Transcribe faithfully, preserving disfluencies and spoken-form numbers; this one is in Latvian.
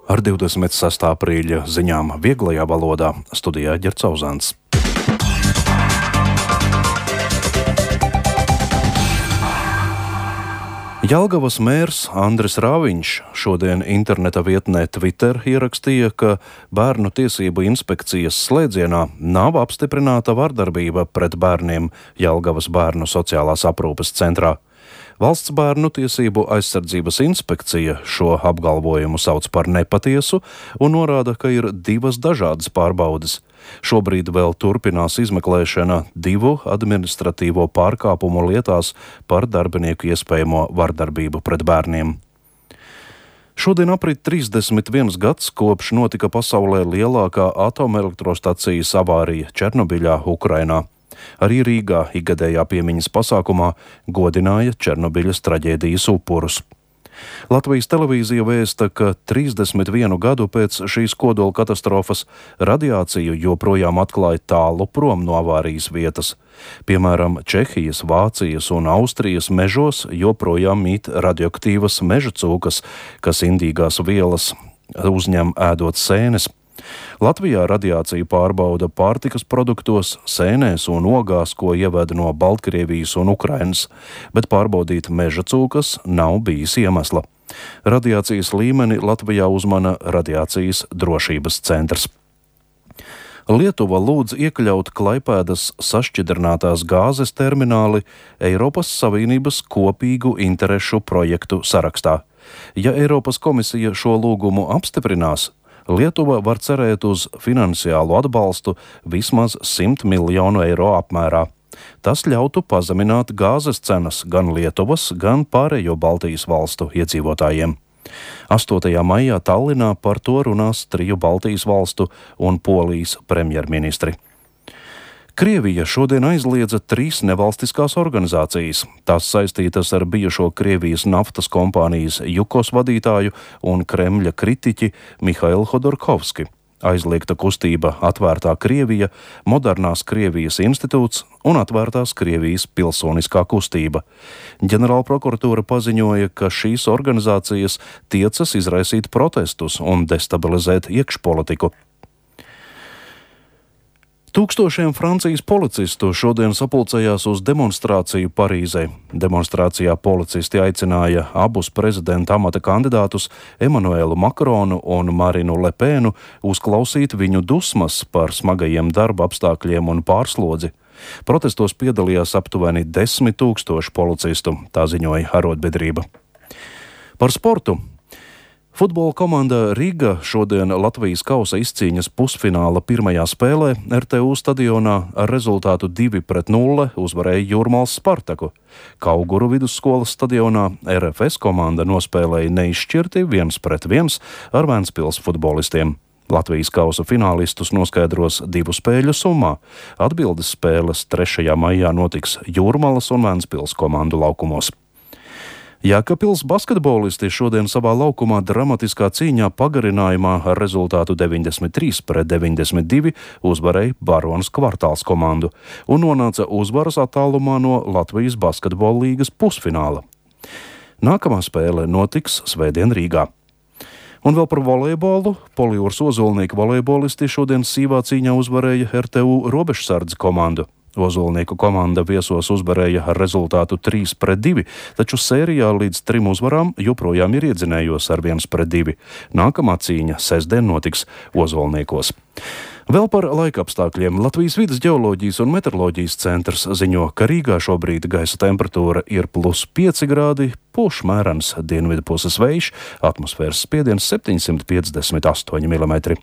Ar divdesmit sestā aprīļa ziņām vieglajā valodā studijā Ģercauzāns. Jelgavas mērs Andris Rāviņš šodien interneta vietnē Twitter ierakstīja, ka Bērnu tiesību inspekcijas slēdzienā nav apstiprināta vardarbība pret bērniem Jelgavas bērnu sociālās aprūpes centrā. Valsts bērnu tiesību aizsardzības inspekcija šo apgalvojumu sauc par nepatiesu un norāda, ka ir divas dažādas pārbaudes. Šobrīd vēl turpinās izmeklēšana divu administratīvo pārkāpumu lietās par darbinieku iespējamo vardarbību pret bērniem. Šodien aprit trīsdesmit viens gads, kopš notika pasaulē lielākā atomelektrostacijas avārija Černobiļā, Ukrainā. Arī Rīgā ikgadējā piemiņas pasākumā godināja Černobiļas traģēdijas upurus. Latvijas televīzija vēsta, ka trīsdesmit vienu gadu pēc šīs kodola katastrofas radiāciju joprojām atklāja tālu prom no avārijas vietas. Piemēram, Čehijas, Vācijas un Austrijas mežos joprojām mīt radioaktīvas meža cūkas, kas indīgās vielas uzņem ēdot sēnes. Latvijā radiāciju pārbauda pārtikas produktos, sēnēs un ogās, ko ieved no Baltkrievijas un Ukrainas, bet pārbaudīt meža cūkas nav bijis iemesla. Radiācijas līmeni Latvijā uzmana Radiācijas drošības centrs. Lietuva lūdz iekļaut Klaipēdas sašķidrinātās gāzes termināli Eiropas Savienības kopīgu interešu projektu sarakstā. Ja Eiropas komisija šo lūgumu apstiprinās, Lietuva var cerēt uz finansiālu atbalstu vismaz simt miljonu eiro apmērā. Tas ļautu pazemināt gāzes cenas gan Lietuvas, gan pārējo Baltijas valstu iedzīvotājiem. astotajā maijā Tallinā par to runās triju Baltijas valstu un Polijas premjerministri. Krievija šodien aizliedza trīs nevalstiskās organizācijas. Tās saistītas ar bijušo Krievijas naftas kompānijas Jukos vadītāju un Kremļa kritiķi Mihailu Hodorkovski. Aizliegta kustība Atvērtā Krievija, Modernās Krievijas institūts un Atvērtās Krievijas pilsoniskā kustība. Ģenerālprokuratūra paziņoja, ka šīs organizācijas tiecas izraisīt protestus un destabilizēt iekšpolitiku. Tūkstošiem Francijas policistu šodien sapulcējās uz demonstrāciju Parīzē. Demonstrācijā policisti aicināja abus prezidenta amata kandidātus Emanuelu Makronu un Marinu Lepēnu uzklausīt viņu dusmas par smagajiem darba apstākļiem un pārslodzi. Protestos piedalījās aptuveni desmit tūkstoši policistu, tā ziņoja arotbiedrība. Par sportu. Futbola komanda Riga šodien Latvijas kausa izcīņas pusfināla pirmajā spēlē R T U stadionā ar rezultātu divi pret nulli uzvarēja Jūrmālas Spartaku. Kauguru vidusskolas stadionā R F S komanda nospēlēja neizšķirti viens pret viens ar Ventspils futbolistiem. Latvijas kausa finālistus noskaidros divu spēļu summā. Atbildes spēles trešajā maijā notiks Jūrmalas un Ventspils komandu laukumos. Jēkabpils basketbolisti šodien savā laukumā dramatiskā cīņā pagarinājumā ar rezultātu deviņdesmit trīs pret deviņdesmit divi uzvarēja Baronas Kvartāls komandu un nonāca uzvaras attālumā no Latvijas basketbola līgas pusfināla. Nākamā spēle notiks svētdien Rīgā. Un vēl par volejbolu. Polijūras Ozolnieku volejbolisti šodien sīvā cīņā uzvarēja R T U robežsardzi komandu. Ozolnieku komanda viesos uzvarēja ar rezultātu trīs pret divi, taču sērijā līdz trim uzvarām joprojām ir iedzinējos ar viens pret divi. Nākamā cīņa sestdien notiks Ozolniekos. Vēl par laikapstākļiem. Latvijas vides ģeoloģijas un meteoroloģijas centrs ziņo, ka Rīgā šobrīd gaisa temperatūra ir plus pieci grādi, pūš mērens dienvidu puses vējš, atmosfēras spiediens septiņsimt piecdesmit astoņi milimetri.